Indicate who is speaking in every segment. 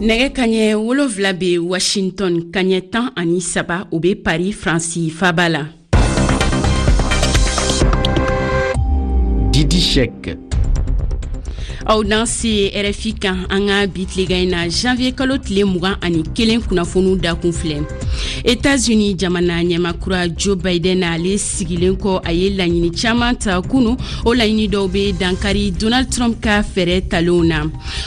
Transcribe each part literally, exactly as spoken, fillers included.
Speaker 1: Nɛgɛ kaɲɛ wolonfila bɛ Washington, kaɲɛ tan ani saba o bɛ Paris, Faransi faaba la.
Speaker 2: Didi Cheick.
Speaker 1: Aw danse R F I kan. An ka bi tilegan in na, janvier kalo tile mugan ani kelen kunnafoniw dakun filɛ. Etats-Unis jamana ɲɛmakura Joe Biden, ale sigilen kɔ, a ye laɲini caman ta kunu. O laɲini dɔw be dankari Donald Trump ka fɛɛrɛ talenw na.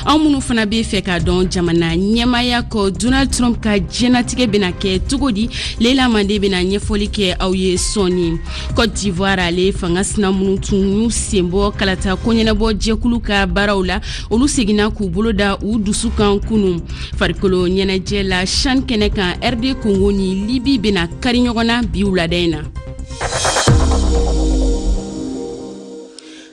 Speaker 1: Anw minnu fana be fɛ k'a dɔn, jamana ɲɛmaya kɔ, Donald Trump ka diɲɛnatigɛ bena kɛ cogo di? Leila Mande bena ɲɛfɔli kɛ aw ye sɔɔni. Cote d'Ivoire, ale fanga sina minnu tun y'u senbɔ kalata koɲɛnabɔ jɛkulu ka baaraw la, olu seginna k'u bolo da u dusu kan kunu. Farikolo ɲɛnajɛ la, CHAN kɛnɛ kan, R D Congo ni Libi bena kari ɲɔgɔn na bi wulada in na.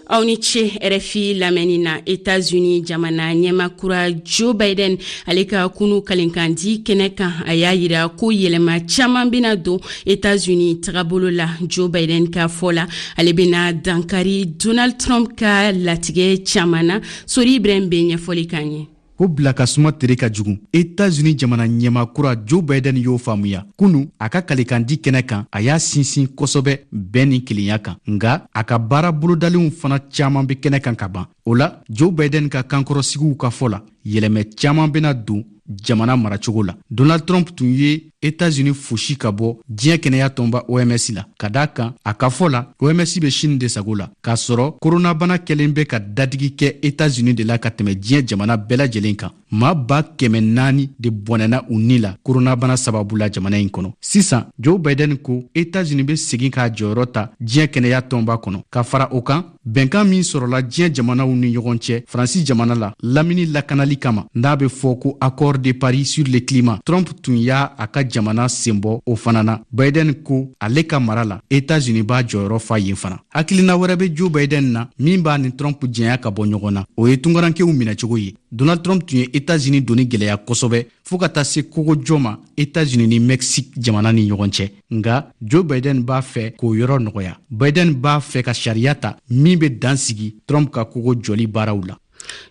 Speaker 1: Aw ni ce R F I lamɛnni na. Etats-Unis jamana ɲɛmakura Joe Biden, ale ka kunu kalenkandi kɛnɛ kan, a y'a yira ko yɛlɛma caaman bena don Etats-Unis tagabolo la. Joe Biden ka fɔ la, ale bena dankari Donald Trump ka latigɛ caaman na. Sori Ibrahim be ɲɛfɔli k'an ye.
Speaker 2: Ko bila ka suma tere ka jugu. Etats-Unis jamana ɲɛmakura Joe Biden y'o faamuya kunu a ka kalekandi kɛnɛ kan. A y'a sinsin kosɛbɛ bɛn ni kelenya kan, nga a ka baara bolodalenw fana caaman be kɛnɛ kan ka ban. O la, Joe Biden ka kankɔrɔsigiw ka fɔ la, yɛlɛmɛ caaman bena don jamana maracogo la. Donald Trump tun ye Etats-Unis fosi ka bɔ diɲɛ kɛnɛya tɔnba O M S la, ka daa kan a ka fɔ la, O M S bɛ Chine de sago la, k'a sɔrɔ koronabana kɛlen bɛ ka dadigi kɛ Etats-Unis de la ka tɛmɛ diɲɛ jamana bɛɛ lajɛlen kan. Maa ba kɛmɛ naani de bɔnɛna u ni la koronabana sababu la jamana in kɔnɔ. Sisan, Joe Biden ko Etats-Unis bɛ segin k'a jɔyɔrɔ ta diɲɛ kɛnɛya tɔnba kɔnɔ. Ka fara o kan, bɛnkan min sɔrɔla diɲɛ jamanaw ni ɲɔgɔn cɛ Faransi jamana la lamini lakanali kama, n'a bɛ fɔ ko Accord de Paris sur le climat, Trump tun y'a a ka jamana senbɔ o fana na. Biden ko ale ka mara la, Etats-Unis b'a jɔyɔrɔ fa yen fana. Hakilina wɛrɛ bɛ Joe Biden na min b'a ni Trump jɛnya ka bɔ ɲɔgɔn na, o ye tungarankew minɛcogo ye. Donald Trump tun ye Etats-Unis doni gwɛlɛya kosɛbɛ fɔɔ ka taa se kogojɔ ma Etats-Unis ni Mexique jamana ni ɲɔgɔn cɛ, nga Joe Biden b'a fɛ k'o yɔrɔ nɔgɔya. Biden b'a fɛ ka sariya ta min bɛ dan sigi Trump ka kogo jɔli baaraw la.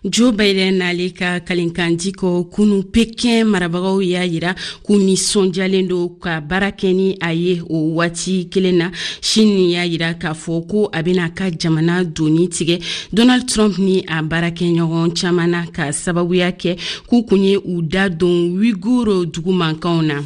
Speaker 1: Joe Biden n'ale ka kalenkandi kɔ kunu, Pekin marabagaw y'a yira k'u nisɔndiyalen don ka baara kɛ ni a ye. O waati kelen na, Chine y'a yira k'a fɔ ko a bɛna ka jamana doni tigɛ Donald Trump ni a baarakɛɲɔgɔn caman na, ka sababuya kɛ k'u kun ye u da don Uyghur dugu mankanw na.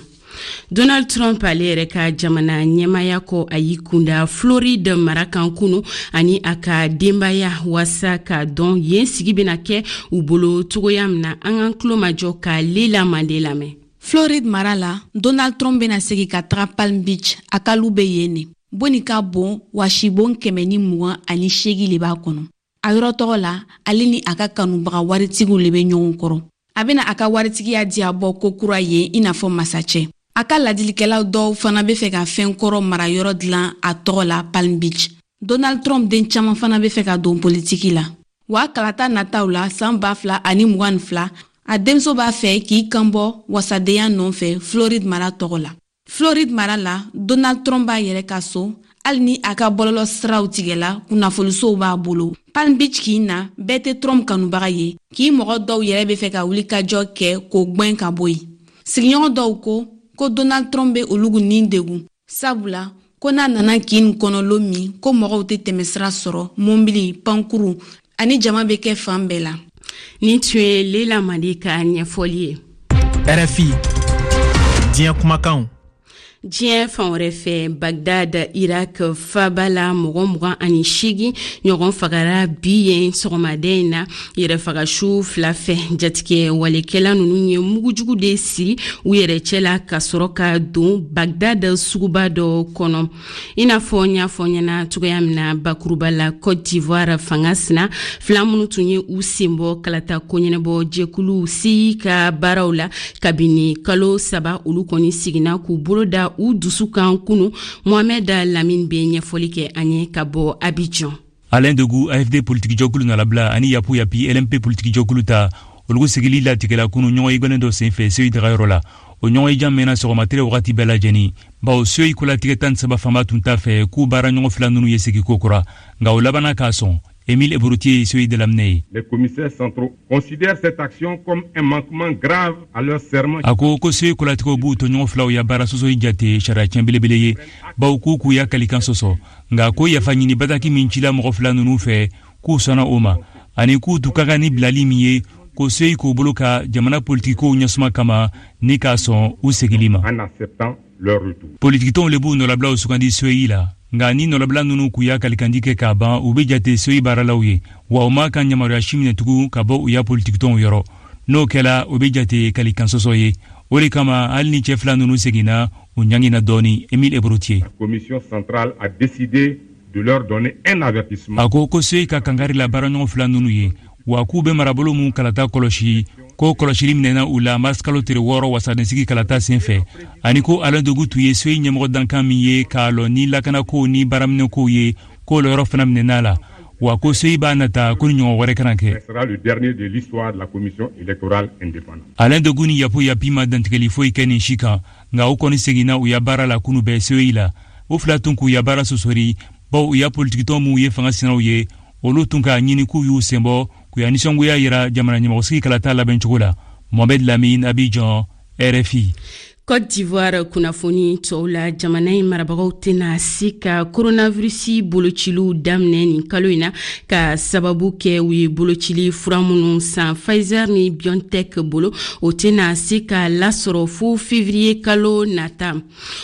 Speaker 1: Donald Trump, ale yɛrɛ ka jamana ɲɛmaya kɔ, a y'i kunda Floride mara kan kunu ani a ka denbaya, waasa k'a dɔn yen sigi bena kɛ u bolo cogoya min na. An k'an tulo majɔ ka Lela Mande lamɛn.
Speaker 3: Floride mara la, Donald Trump bena segi ka taga Palm Beach, a ka lu be yen ne. Boni ka bon wa sibon kɛmɛ ni mugan ani seegi le b'a kɔnɔ. A yɔrɔ tɔgɔ la, ale ni a ka kanubaga waritigiw le be ɲɔgɔn kɔrɔ. A bena a ka waritigiya diya bɔ ko kura ye i n'a fɔ masacɛ. A ka ladilikɛlaw dɔw fana be fɛ ka fɛn kɔrɔ mara yɔrɔ dilan a tɔgɔ la Palm Beach. Donald Trump den caman fana be fɛ ka don politiki la. Wa kalata nataw la san ba fila ani mugan ni fila, a denmuso b'a fɛ k'i kanbɔ wasadenya nɔfɛ Floride mara tɔgɔ la. Floride mara la, Donald Trump b'a yɛrɛ ka so, hali ni a ka bɔlɔlɔ siraw tigɛla, kunnafonisow b'a bolo. Palm Beach kin na, bɛɛ tɛ Trump kanubaga ye. K'i mɔgɔ dɔw yɛrɛ be fɛ ka wulikajɔ kɛ k'o gwɛn ka bɔ yen. Sigiɲɔgɔn dɔw ko ko Donald Trump be olugu nin degun, sabula ko n'a nana kin kɔnɔ lon min, ko mɔgɔw tɛ tɛmɛsira sɔrɔ, mɔbili, pankuru ani jama bɛ kɛ fan bɛɛ la.
Speaker 1: Nin tun ye Lela Mande ka ɲɛfɔli ye.
Speaker 4: R F I, diɲɛ kumakanw.
Speaker 1: Diɲɛ fan wɛrɛ fɛ, Bagdad, Irak faba la, mɔgɔ mugan ani seegin ɲɔgɔn fagara bi yen sɔgɔmaden in na yɛrɛfagasu fila fɛ. Jatigɛ walekɛla ninnu ye mugujugu de siri u yɛrɛ cɛ la ka sɔrɔ ka don Bagdad suguba dɔ kɔnɔ. I n'a fɔ n y'a fɔ ɲɛna cogoya min na bakuruba la, Cote d'Ivoire fanga sina fila minnu tun ye u senbɔ kalata koɲɛnabɔ jɛkulu C E I ka baaraw la kabini kalo saba, olu kɔni seginna k'u bolo da u dusu kan kunu. Mohamɛd Lamine bɛ ɲɛfɔli kɛ an ye ka bɔ Abidjan.
Speaker 5: Alain Dogou, A F D politikijɛkulu nalabila, ani Yapu Yapi, L M P politikijɛkulu ta, olugu sigili latigɛla kunu ɲɔgɔn ye dɔ senfɛ C E I dagayɔrɔ la. O ɲɔgɔn ye jan mɛnna sɔgɔma wagati bɛɛ lajɛlen, bawo C E I kolatigɛ tan ni saba fanba tun t'a fɛ k'u baara ɲɔgɔn fila ninnu ye segi ko kura, nka o labanna k'a sɔn. Emile Ebrotier ye C E I dalaminɛ ye.
Speaker 6: Les commissaires centraux considèrent cette action comme un manquement grave à leur serment.
Speaker 5: A ko ko C E I kolatigɛw b'u tɔɲɔgɔn filaw ya baara sɔsɔli jate sariya tiɲɛ belebele ye, bawo k'u k'u ya kalikan sɔsɔ. Nka ko yafa ɲini bataki min cila mɔgɔ fila ninnu fɛ, k'u sɔnna o ma, ani k'u tun ka kan ni bilali min ye, ko C E I k'o bolo ka jamana politikikow ɲɛsuma kama ni k'a sɔn u segili ma.
Speaker 6: En acceptant leur retour.
Speaker 5: Politikitɔnw le b'u nɔlabilaw sugandi C E I la. Nka ni nɔlabila ninnu k'u ya kalikandi kɛ k'a ban, u bɛ jate C E I baaralaw ye, wa u ma kan yamaruya si minɛ tugun ka bɔ u ya politikitɔnw yɔrɔ. N'o kɛla, o bɛ jate kalikan sɔsɔ ye. O de kama, hali ni cɛ fila ninnu seginna, u ɲangina dɔɔni. Emile Ebrotier.
Speaker 6: La commission centrale a décidé de leur donner un avertissement.
Speaker 5: A ko ko C E I ka kankari la baaraɲɔgɔn fila ninnu ye, wa k'u bɛ marabolo mun kalata kɔlɔsi, ko kɔlɔsili minɛna u la mars kalo tere wɔɔrɔ wasadensigi kalata senfɛ, ani ko Alain Dogu tun ye C E I ɲɛmɔgɔ dankan min ye k'a lɔ ni lakanakow ni baaraminɛkow ye, k'o lɔyɔrɔ fana minɛna la, wa ko C E I b'a nata ko ni ɲɔgɔn wɛrɛ kana kɛ.
Speaker 6: Sera le dernier de l'histoire de la commission électorale indépendante.
Speaker 5: Alain Dogu ni Yapo Yapi ma dantigɛli foyi kɛ nin si kan, nka u kɔni seginna u ya baara la kunu bɛɛ C E I la. U fila tun k'u ya baara sɔsɔri, bawo u ya politikitɔn minw ye fanga sinaw ye, olu tun k'a ɲini k'u y'u senbɔ k'u ya nisɔngoya yira jamana ɲɛmɔgɔsigi kalata labɛncogo la. Mohamed Lamine, Abidjan, R F I.
Speaker 1: Côte d'Ivoire kunnafoni tɔw la, jamana in marabagaw tɛna se ka coronavirus bolociliw daminɛ nin kalo in na ka sababu kɛ u ye bolocili fura minnu san Pfizer ni BioNTech bolo, o tɛna se ka lasɔrɔ fo février kalo nata.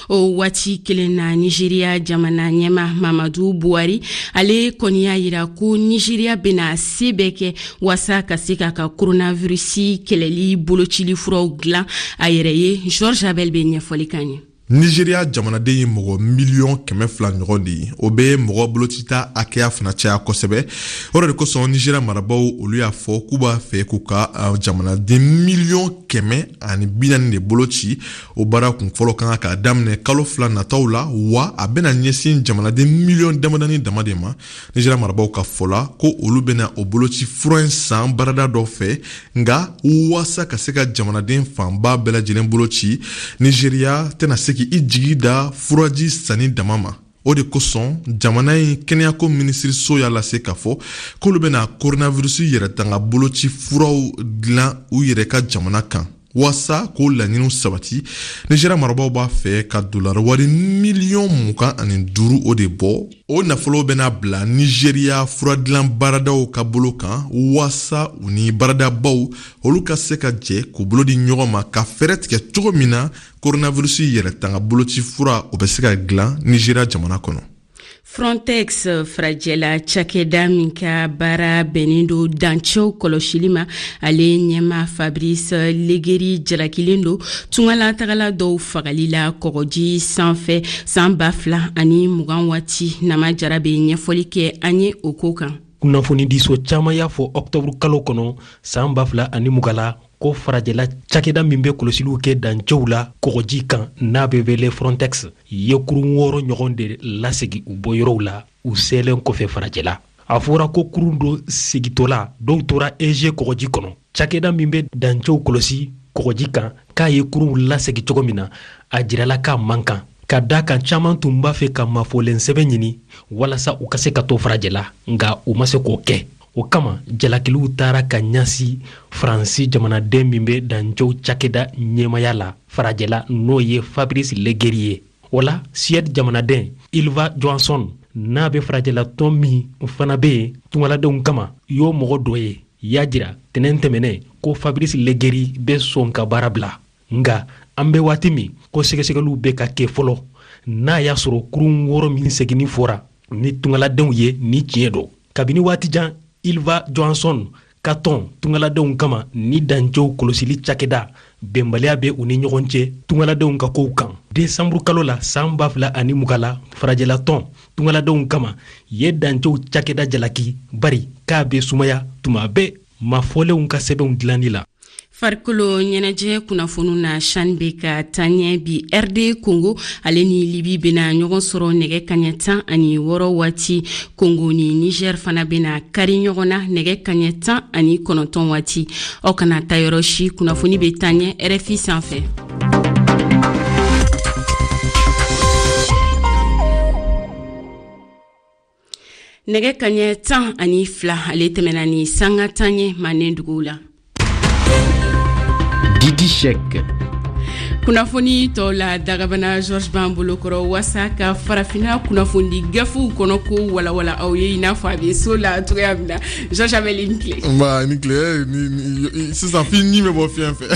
Speaker 1: O waati kelen na, Nigeria jamana ɲɛma Mamadu Buhari, ale kɔni y'a yira ko Nigeria bɛna se bɛɛ kɛ waasa ka se k'a ka coronavirus kɛlɛli bolocili furaw dilan a yɛrɛ ye. Georges Abel bɛ ɲɛfɔli k'an ye.
Speaker 7: Nigeria jamanaden ye mɔgɔ miliyɔn kɛmɛ fila ɲɔgɔn de ye. O bɛ mɔgɔ bolocita hakɛya fana caya kosɛbɛ. O de kosɔn Nigeria marabaw olu y'a fɔ k'u b'a fɛ k'u ka jamanaden miliyɔn kɛmɛ ani bi naani de boloci. O baara kun fɔlɔ kan k'a daminɛ kalo fila nataw la, wa a bɛna ɲɛsin jamanaden miliyɔn damadani dama de ma. Nigeria marabaw ka fɔ la ko olu bɛna o boloci fura in san baarada dɔ fɛ, nka waasa ka se ka jamanaden fanba bɛɛ lajɛlen boloci, Nigeria tɛna se k'i jigi da furaji sanni dama ma. O de kosɔn jamana in kɛnɛyako minisiriso y'a lase k'a fɔ k'olu bɛna coronavirus yɛrɛtanga boloci furaw dilan u yɛrɛ ka jamana kan. Waasa k'o laɲiniw sabati, Nigeria marabaw b'a fɛ ka dolari wari miliyɔn mugan ani duuru o de bɔ. O nafolo bɛna bila Nigeria furadilan baaradaw ka bolo kan, waasa u ni baaradabaw olu ka se ka jɛ k'u bolo di ɲɔgɔn ma ka fɛɛrɛ tigɛ cogo min na coronavirus yɛrɛtanga boloci fura o bɛ se ka dilan Nigeria jamana kɔnɔ.
Speaker 1: Frontex farajɛla cakɛda min ka baara bɛnnen don dancɛw kɔlɔsili ma, ale ɲɛma Fabrice Leggeri jalakilen don tungalatagala dɔw fagali la kɔgɔji sanfɛ san ba fila ani mugan waati. Nama Jara bɛ ɲɛfɔli kɛ an ye o ko kan.
Speaker 8: Kunnafonidiso caman y'a fɔ ɔktɔburu kalo kɔnɔ san ba fila ani mugan la ko farajɛla cakɛda min bɛ kɔlɔsiliw kɛ dancɛw la kɔgɔji kan n'a bɛ wele Frontex ye kurun wɔɔrɔ ɲɔgɔn de lasegi u bɔyɔrɔw la u selen kɔfɛ farajɛla. A fɔra ko kurun dɔ segitɔla dɔw tora Ege kɔgɔji kɔnɔ. Cakɛda min bɛ dancɛw kɔlɔsi kɔgɔji kan k'a ye kurunw lasegi cogo min na, a jirala k'a man kan, ka da kan caman tun b'a fɛ ka mafɔlen sɛbɛn ɲini walasa u ka se ka to farajɛla, nka u ma se k'o kɛ. O kama jalakiliw taara ka ɲɛsin Faransi jamanaden min bɛ dancɛw cakɛda ɲɛmaya la farajɛla, n'o ye Fabrice Leggeri ye. O la Suède jamanaden Ylva Johansson n'a bɛ farajɛla tɔn min fana bɛ yen tungaladenw kama y'o mɔgɔ dɔ ye, y'a jira tɛnɛn tɛmɛnen ko Fabrice Leggeri bɛ sɔn ka baara bila. Nka an bɛ waati min ko sɛgɛsɛgɛliw bɛ ka kɛ fɔlɔ n'a y'a sɔrɔ kurun wɔɔrɔ min seginni fɔra ni tungaladenw ye ni tiɲɛ don. Kabini waati jan Ylva Johansson ka tɔn tungaladenw kama ni dancɛw kɔlɔsili cakɛda bɛnbaliya bɛ u ni ɲɔgɔn cɛ tungaladenw ka kow kan. Desanburu kalo la san ba fila ani mugan la farajɛla tɔn tungaladenw kama ye dancɛw cakɛda jalaki bari k'a bɛ sumaya tuma bɛɛ mafɔlenw ka sɛbɛnw dilanni la.
Speaker 1: Farikolo ɲɛnajɛ kunnafoniw na, CHAN bɛ ka taa ɲɛ bi. R D Congo ale ni Libi bɛna ɲɔgɔn sɔrɔ nɛgɛ kaɲɛ tan ani wɔɔrɔ waati. Congo ni Niger fana bɛna kari ɲɔgɔn na nɛgɛ kaɲɛ tan ani kɔnɔntɔn waati. Aw kana taa yɔrɔ si, kunnafoni bɛ taa ɲɛ R F I sanfɛ. Nɛgɛ kaɲɛ tan ani fila ale tɛmɛna ni sanga tan ye manden duguw la.
Speaker 2: Didi Cheick.
Speaker 1: Kunnafoni tɔw la dagabana Georges b'an bolokɔrɔ waasa ka farafinna kunnafoni gafew kɔnɔ ko walawala aw ye i n'a fɔ a bɛ so la cogoya min na. Georges Abel, i ni tile.
Speaker 7: Nba, i ni tile. Sisan f'i ɲi bɛ bɔ fiɲɛ fɛ.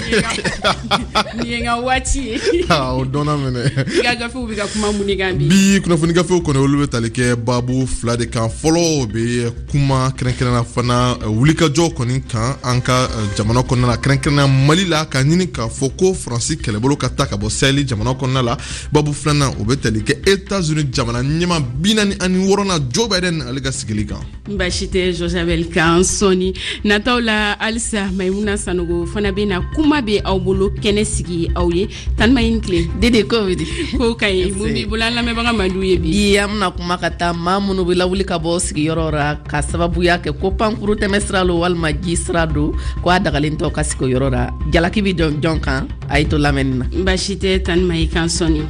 Speaker 1: Nin ye n ka waati ye.
Speaker 7: O dɔnna minɛ.
Speaker 1: I ka gafew bɛ ka kuma mun de kan bi?
Speaker 7: Bi kunnafoni gafew kɔni olu bɛ tali kɛ baabu fila de kan. Fɔlɔ bɛ kuma kɛrɛnkɛrɛnnenya fana wulikajɔ kɔni kan an ka jamana kɔnɔna la, kɛrɛnkɛrɛnnenya Mali la, ka ɲini k'a fɔ ko Faransi kɛlɛbolo ka ta ka bɔ Sahel jamana kɔnɔna la. Babu filanan o bɛ tali kɛ États-Unis jamana ɲɛmaa bi naani ani wɔɔrɔnan Joe Biden ale ka sigili kan.
Speaker 1: Baasi tɛ Georges Abel kan sɔɔni nataw la. Halisa Maimuna Sanogo fana bɛ na kuma bɛ aw bolo kɛnɛ sigi aw ye. Tanima, i ni tile.
Speaker 9: Dede, ko bɛ di?
Speaker 1: Ko ka ɲi. Mun b'i bolo an lamɛnbaga mandiw ye bi?
Speaker 9: Bi an bɛna kuma ka taa maa minnu bɛ lawuli ka bɔ sigiyɔrɔ la ka sababuya kɛ ko pankuru tɛmɛ sira lo walima ji sira don ko a dagalen tɔ ka sigi o yɔrɔ la. Jalaki bɛ jɔn jɔn kan? A y'i to lamɛnni na.
Speaker 1: Baasi tɛ Tanima, i kan sɔɔni.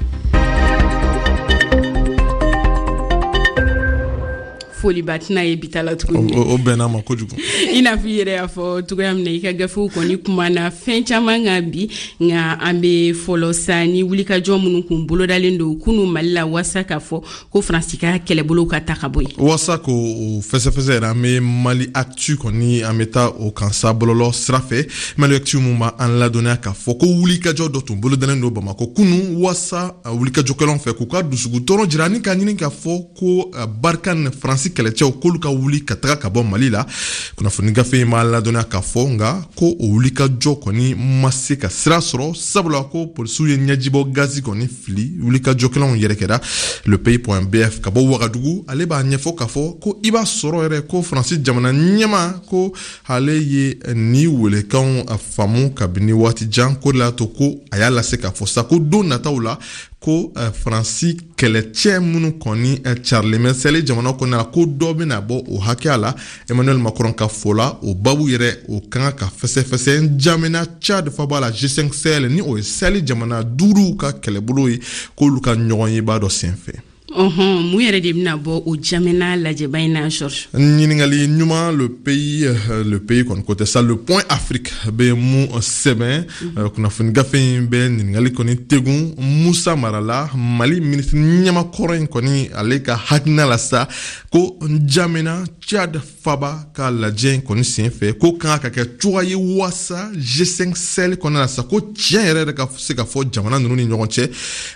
Speaker 1: Foliba tɛna ye bi ta la tuguni.
Speaker 7: O bɛnna ma kojugu.
Speaker 1: I n'a fɔ i yɛrɛ y'a fɔ cogoya min na, i ka gafew kɔni kumana fɛn caman kan bi, nka an bɛ fɔlɔ sa ni wulikajɔ minnu kun bolodalen don kunu Mali la waasa k'a fɔ ko Faransi ka kɛlɛbolo ka ta ka bɔ yen.
Speaker 7: Waasa k'o fɛsɛfɛsɛ yɛrɛ, an bɛ Mali Actu kɔni an bɛ taa o kan sa bɔlɔlɔ sira fɛ. Mali Actu mun b'an ladɔnniya k'a fɔ ko wulikajɔ dɔ tun bolodalen don Bamakɔ kunu waasa wulikajɔkɛlaw fɛ k'u ka dusukun jira ani ka ɲini k'a fɔ ko Barkhane Faransi kɛlɛcɛw k'olu ka wuli ka taga ka bɔ Mali la. Kunnafoni gafe in b'a ladɔnniya k'a fɔ nka ko o wulikajɔ kɔni ma se ka sira sɔrɔ, sabula ko polisiw ye ɲɛjibɔ gazi kɔni fili wulikajɔkɛlaw yɛrɛ kɛra. Le Pays point B F ka bɔ Wagadugu, ale b'a ɲɛfɔ k'a fɔ ko i b'a sɔrɔ yɛrɛ ko Faransi jamana ɲɛma ko ale ye ni welekanw faamu kabini waati jan, ko de y'a to ko a y'a lase k'a fɔ sa ko don nataw la ko Faransi kɛlɛcɛ minnu kɔni carilen bɛ Sahel jamana kɔnɔna la, ko dɔ bɛna bɔ o hakɛya la. Emmanuel Macron ka fɔ la, o babu yɛrɛ o kan ka fɛsɛfɛsɛ N'Djamena Tchad faba la, G cinq Sahel ni o ye Sahel jamana duuru ka kɛlɛbolo ye, k'olu ka ɲɔgɔn ye b'a dɔ senfɛ.
Speaker 1: Ɔhɔn, mun yɛrɛ de bɛna bɔ o N'Djamena lajɛba in na, Georges?
Speaker 7: Ɲininkali ɲuman. Le pays le pays kɔni ko tɛ sa, Le Point Afrique bɛ mun sɛbɛn? Kunnafoni gafe in bɛ ɲininkali kɔni tegun Musa Mara la, Mali minisiri ɲɛmakɔrɔ in kɔni, ale ka hakilina la sa ko N'Djamena Tchad faba ka lajɛ in kɔni senfɛ, ko kan ka kɛ cogoya ye waasa G cinq Sahel kɔnɔna la sa ko tiɲɛ yɛrɛ yɛrɛ ka se ka fɔ jamana ninnu ni ɲɔgɔn cɛ.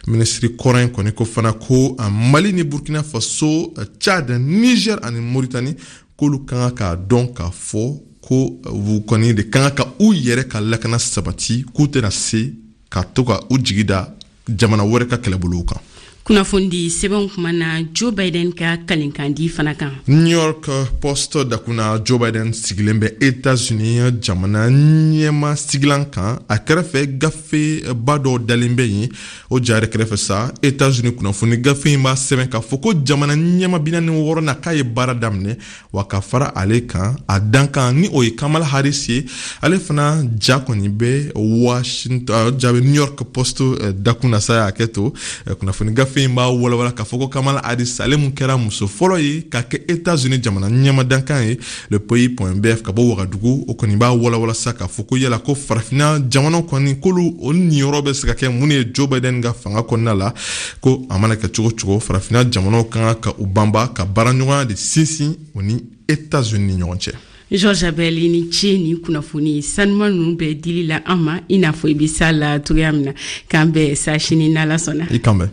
Speaker 7: Minisiri kɔrɔ in kɔni ko fana ko Mali ni Burkina Faso, Tchad, Niger ani Mauritanie, k'olu kan k'a dɔn k'a fɔ ko u kɔni de kan ka u yɛrɛ ka lakana sabati, k'u tɛna se ka to ka u jigi da jamana wɛrɛ ka kɛlɛbolow kan.
Speaker 1: Kunnafoni sɛbɛnw kuma na Joe Biden ka kalenkandi fana kan.
Speaker 7: New York Post dakuna, Joe Biden sigilen bɛ États-Unis jamana ɲɛma sigilan kan, a kɛrɛfɛ gafeba dɔw dalen bɛ yen. O ja yɛrɛ kɛrɛfɛ sa, États-Unis kunnafoni gafe in b'a sɛbɛn k'a fɔ ko jamana ɲɛma bi naani wɔɔrɔnan k'a ye baara daminɛ wa ka fara ale kan, a dankan ni o ye Kamala Harris ye, ale fana ja kɔni bɛ Washington, ja bɛ New York Post dakun na sa. Y'a kɛ to kunnafoni gafe in b'a walawala k'a fɔ ko Kamala Harris, ale mun kɛra muso fɔlɔ ye ka kɛ États-Unis jamana ɲɛmadankan ye. Le Pays point B F ka bɔ Wagadugu, o kɔni b'a walawala sa k'a fɔ ko yala ko farafinna jamanaw kɔni k'olu o niyɔrɔ bɛ se ka kɛ mun ye Joe Biden ka fanga kɔnɔna la, ko a mana kɛ cogo cogo, farafinna jamanaw kan ka u banba ka baaraɲɔgɔnya de sinsin o ni États-Unis ni ɲɔgɔn cɛ.
Speaker 1: Georges Abel, i ni ce ni kunnafoni sanuma ninnu bɛɛ dili la an ma i n'a fɔ i bɛ s'a la cogoya min na. K'an bɛn sa sini n'Ala sɔnna.
Speaker 7: I kan bɛn.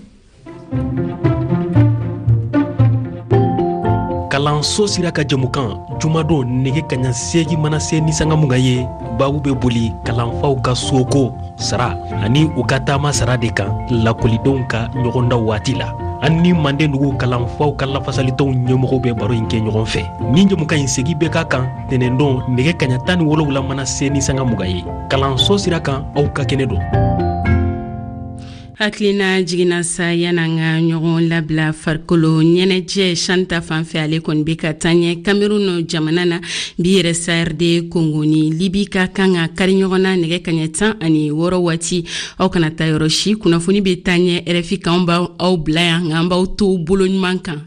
Speaker 8: Kalanso sira ka jamukan, jumadon nege kaɲa seegi mana se ni sanga mugan ye, babu bɛ boli kalanfaw ka soko sara ani u ka taama sara de kan lakɔlidenw ka ɲɔgɔnda waati la. An ni Manden dugu kalanfaw ka lafasalitɔnw ɲɛmɔgɔw bɛ baro in kɛ ɲɔgɔn fɛ. Nin jamukan in segi bɛ ka kan tɛnɛndon nege kaɲa tan ni wolonwula mana se ni sanga mugan ye. Kalanso sira kan, aw ka kɛnɛ don.
Speaker 1: Hakilina jiginna sa, yan'an ka ɲɔgɔn labila, farikolo ɲɛnajɛ CHAN ta fan fɛ, ale kɔni bɛ ka taa ɲɛ Cameroun jamana na bi yɛrɛ. Sa R D Congo ni Libi ka kan ka kari ɲɔgɔn na nɛgɛ kaɲɛ tan ani wɔɔrɔ waati. Aw kana taa yɔrɔ si, kunnafoni bɛ taa ɲɛ R F I kan. B'aw bila yan, nka an b'aw to bolo ɲuman kan.